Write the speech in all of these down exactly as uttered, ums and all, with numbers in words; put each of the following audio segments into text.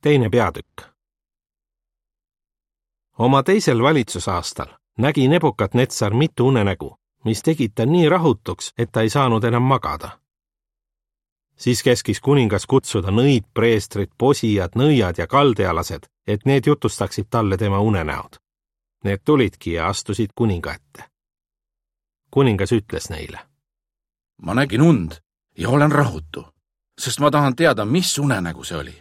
Teine peatükk. Oma teisel valitsusaastal nägi Nebukadnetsar mitu unenägu, mis tegid ta nii rahutuks, et ta ei saanud enam magada. Siis keskis kuningas kutsuda nõid, preestrid, posijad, nõiad ja kaldealased, et need jutustaksid talle tema unenäod. Need tulidki ja astusid kuninga ette. Kuningas ütles neile: Ma nägin und ja olen rahutu, sest ma tahan teada, mis unenägu see oli.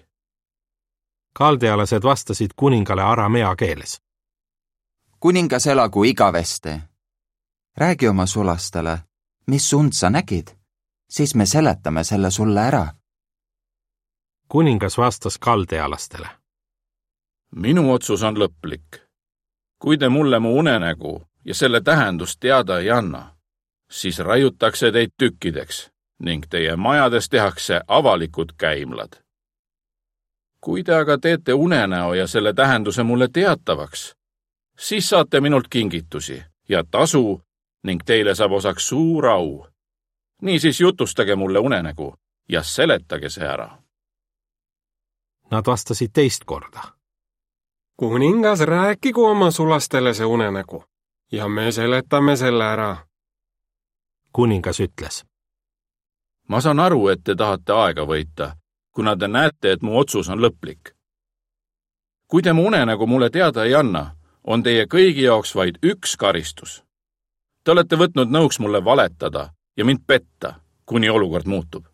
Kaldealased vastasid kuningale aramea keeles: Kuningas elagu igaveste. Räägi oma sulastele, mis und sa nägid, siis me seletame selle sulle ära. Kuningas vastas kaldealastele: Minu otsus on lõplik. Kui te mulle mu unenägu ja selle tähendust teada ei anna, siis raiutakse teid tükkideks ning teie majades tehakse avalikud käimlad. Kui te aga teete unenäo ja selle tähenduse mulle teatavaks, siis saate minult kingitusi ja tasu ning teile saab osaks suur au. Niisiis jutustage mulle unenägu ja seletage see ära. Nad vastasid teist korda: Kuningas, rääkigu oma sulastele see unenägu ja me seletame selle ära. Kuningas ütles: Ma saan aru, et te tahate aega võita, kuna te näete, et mu otsus on lõplik. Kui te mu unenägu mulle teada ei anna, on teie kõigi jaoks vaid üks karistus. Te olete võtnud nõuks mulle valetada ja mind petta, kuni olukord muutub.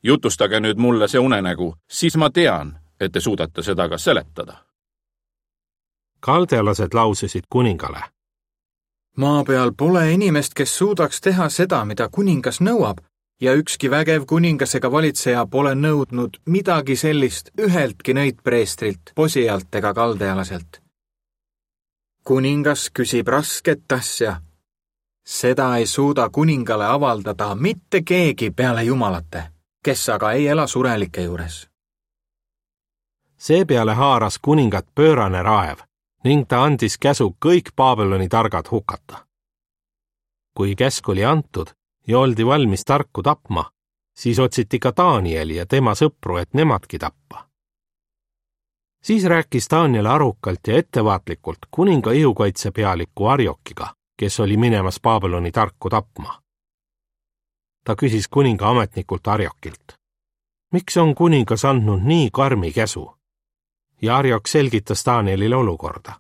Jutustage nüüd mulle see unenägu, siis ma tean, et te suudate seda ka seletada. Kaldealased laususid kuningale: Maa peal pole inimest, kes suudaks teha seda, mida kuningas nõuab, ja ükski vägev kuningas ega valitseja pole nõudnud midagi sellist üheltki nõidpreestrilt, posijalt ega kaldealaselt. Kuningas küsib rasket asja. Seda ei suuda kuningale avaldada mitte keegi peale jumalate, kes aga ei ela surelike juures. Seepeale haaras kuningat pöörane raev ning ta andis käsu kõik Babyloni targad hukata. Kui käsk oli antud ja oldi valmis tarku tapma, siis otsiti ka Danieli ja tema sõpru, et nemadki tappa. Siis rääkis Daniel arukalt ja ettevaatlikult kuninga ihukaitsepealiku Arjokiga, kes oli minemas Babyloni tarku tapma. Ta küsis kuninga ametnikult Arjokilt: Miks on kuningas andnud nii karmi käsu? Ja Arjok selgitas Danielile olukorda.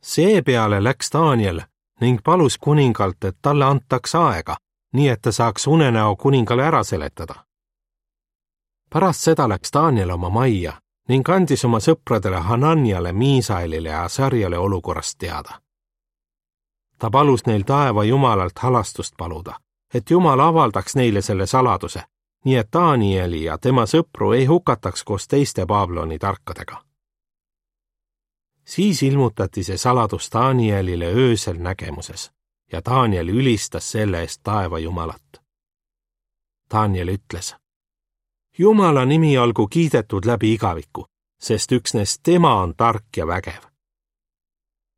Seepeale läks Daniel ning palus kuningalt, et talle antaks aega, nii et ta saaks unenäo kuningale ära seletada. Pärast seda läks Daniel oma majja ning andis oma sõpradele Hananiale, Miisaelile ja Sarjale olukorrast teada. Ta palus neil taeva jumalalt halastust paluda, et jumal avaldaks neile selle saladuse, nii et Danieli ja tema sõpru ei hukataks koos teiste Babyloni tarkadega. Siis ilmutati see saladus Danielile öösel nägemuses ja Daniel ülistas selle eest taeva jumalat. Daniel ütles: Jumala nimi olgu kiidetud läbi igaviku, sest üksnes tema on tark ja vägev.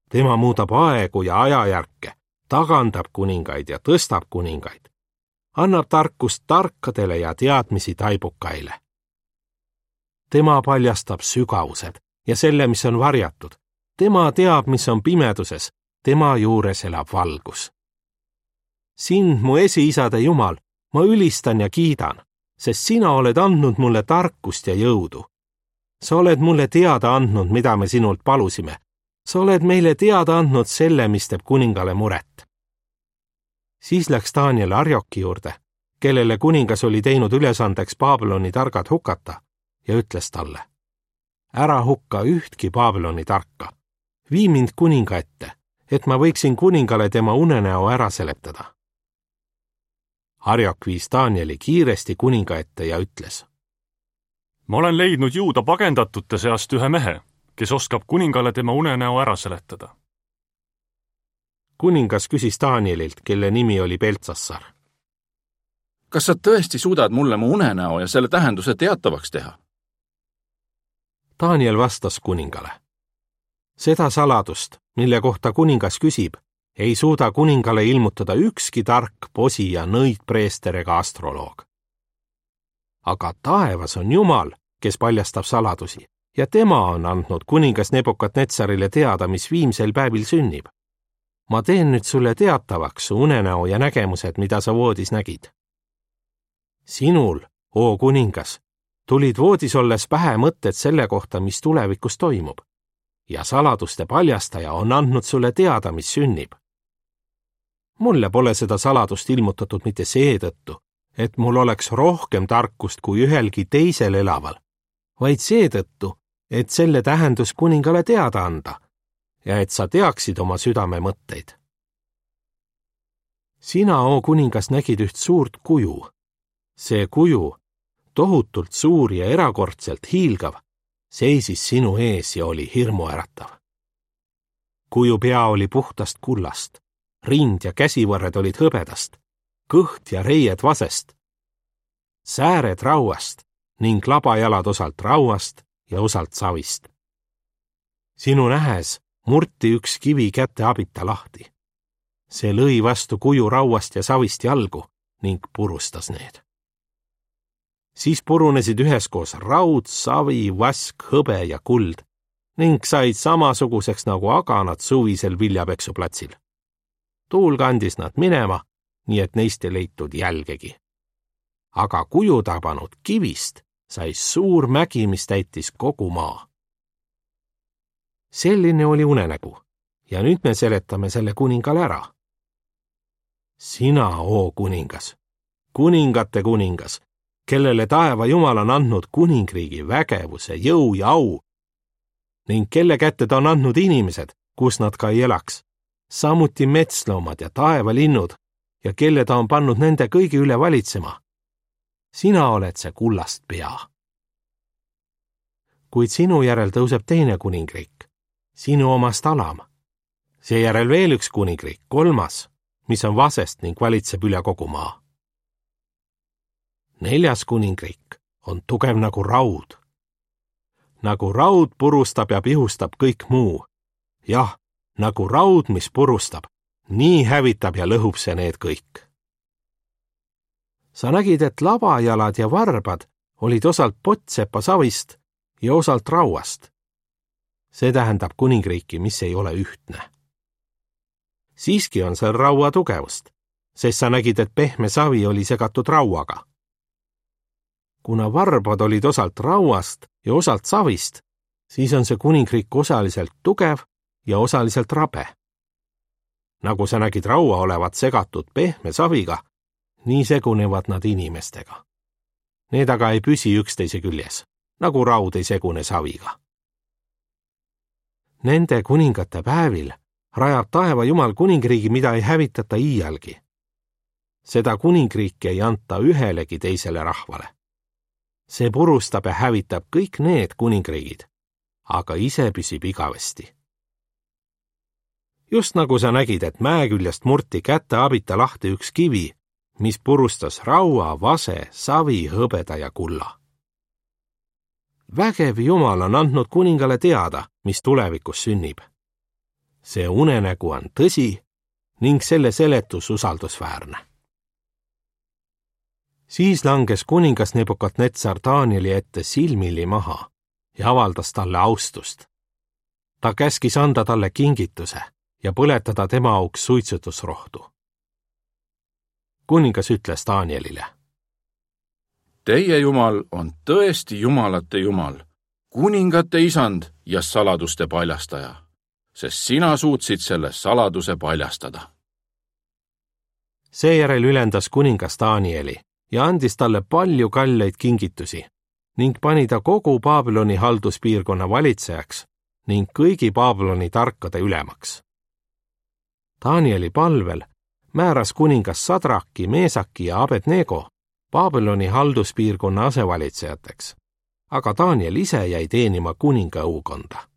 Tema muudab aegu ja ajajärke, tagandab kuningaid ja tõstab kuningaid, annab tarkust tarkadele ja teadmisi taibukaile. Tema paljastab sügavused ja selle, mis on varjatud. Tema teab, mis on pimeduses, tema juures elab valgus. Sind, mu esiisade Jumal, ma ülistan ja kiidan, sest sina oled andnud mulle tarkust ja jõudu. Sa oled mulle teada andnud, mida me sinult palusime. Sa oled meile teada andnud selle, mis teeb kuningale muret. Siis läks Daniel Arjoki juurde, kellele kuningas oli teinud ülesandeks Babyloni targad hukata, ja ütles talle: Ära hukka ühtki Babyloni tarka. Vii mind kuninga ette, et ma võiksin kuningale tema unenäo ära seletada. Arjok viis Danieli kiiresti kuninga ette ja ütles: Ma olen leidnud Juuda pagendatute seast ühe mehe, kes oskab kuningale tema unenäo ära seletada. Kuningas küsis Danielilt, kelle nimi oli Beltsassar: Kas sa tõesti suudad mulle mu unenäo ja selle tähenduse teatavaks teha? Daniel vastas kuningale: Seda saladust, mille kohta kuningas küsib, ei suuda kuningale ilmutada ükski tark posija, nõidpreester ega astroloog. Aga taevas on Jumal, kes paljastab saladusi ja tema on andnud kuningas Nebukadnetsarile teada, mis viimsel päevil sünnib. Ma teen nüüd sulle teatavaks su unenäo ja nägemused, mida sa voodis nägid. Sinul, oo kuningas, tulid voodis olles pähe mõtted selle kohta, mis tulevikus toimub, ja saladuste paljastaja on andnud sulle teada, mis sünnib. Mulle pole seda saladust ilmutatud mitte seetõttu, et mul oleks rohkem tarkust kui ühelgi teisel elaval, vaid seetõttu, et selle tähendus kuningale teada anda ja et sa teaksid oma südame mõtteid. Sina, oo kuningas, nägid üht suurt kuju. See kuju, tohutult suur ja erakordselt hiilgav, seisis sinu ees ja oli hirmuäratav. Kuju pea oli puhtast kullast, rind ja käsivõrred olid hõbedast, kõht ja reied vasest, sääred rauast ning labajalad osalt rauast ja osalt savist. Sinu nähes murti üks kivi käte abita lahti. See lõi vastu kuju rauast ja savist jalgu ning purustas need. Siis purunesid üheskoos raud, savi, vask, hõbe ja kuld ning said samasuguseks nagu aganad suvisel viljapeksuplatsil. Tuul kandis nad minema, nii et neist ei leitud jälgegi. Aga kuju tabanud kivist sai suur mägi, mis täitis kogu maa. Selline oli unenägu ja nüüd me seletame selle kuningale ära. Sina, oo kuningas, kuningate kuningas, kellele taeva Jumal on andnud kuningriigi vägevuse, jõu ja au ning kelle kätte ta on andnud inimesed, kus nad ka ei elaks, samuti metsloomad ja taevalinnud ja kelle ta on pannud nende kõigi üle valitsema. Sina oled see kullast pea. Kuid sinu järel tõuseb teine kuningriik, sinu omast alam. Seejärel veel üks kuningriik, kolmas, mis on vasest ning valitseb üle kogu maa. Neljas kuningriik on tugev nagu raud. Nagu raud purustab ja pihustab kõik muu. Jah, nagu raud, mis purustab, nii hävitab ja lõhub see need kõik. Sa nägid, et labajalad ja varbad olid osalt pottsepa savist ja osalt rauast. See tähendab kuningriiki, mis ei ole ühtne. Siiski on seal raua tugevust, sest sa nägid, et pehme savi oli segatud rauaga. Kuna varbad olid osalt rauast ja osalt savist, siis on see kuningriik osaliselt tugev ja osaliselt rabe. Nagu sa nägid raua olevat segatud pehme saviga, nii segunevad nad inimestega. Need aga ei püsi üksteise küljes, nagu raud ei segune saviga. Nende kuningate päevil rajab taeva Jumal kuningriigi, mida ei hävitata iialgi. Seda kuningriiki ei anta ühelegi teisele rahvale. See purustab ja hävitab kõik need kuningriigid, aga ise püsib igavesti. Just nagu sa nägid, et mäeküljest murti kätte abita lahti üks kivi, mis purustas raua, vase, savi, hõbeda ja kulla. Vägev Jumal on andnud kuningale teada, mis tulevikus sünnib. See unenägu on tõsi ning selle seletus usaldusväärne. Siis langes kuningas Nebukadnetsar Danieli ette silmili maha ja avaldas talle austust. Ta käskis anda talle kingituse ja põletada tema auks suitsutusrohtu. Kuningas ütles Danielile: Teie Jumal on tõesti jumalate Jumal, kuningate isand ja saladuste paljastaja, sest sina suutsid selle saladuse paljastada. Seejärel ülendas kuningas Danieli ja andis talle palju kalleid kingitusi ning pani ta kogu Babyloni halduspiirkonna valitsejaks ning kõigi Babyloni tarkade ülemaks. Danieli palvel määras kuningas Sadraki, Meesaki ja Abednego Babyloni halduspiirkonna asevalitsejateks, aga Daniel ise jäi teenima kuninga õukonda.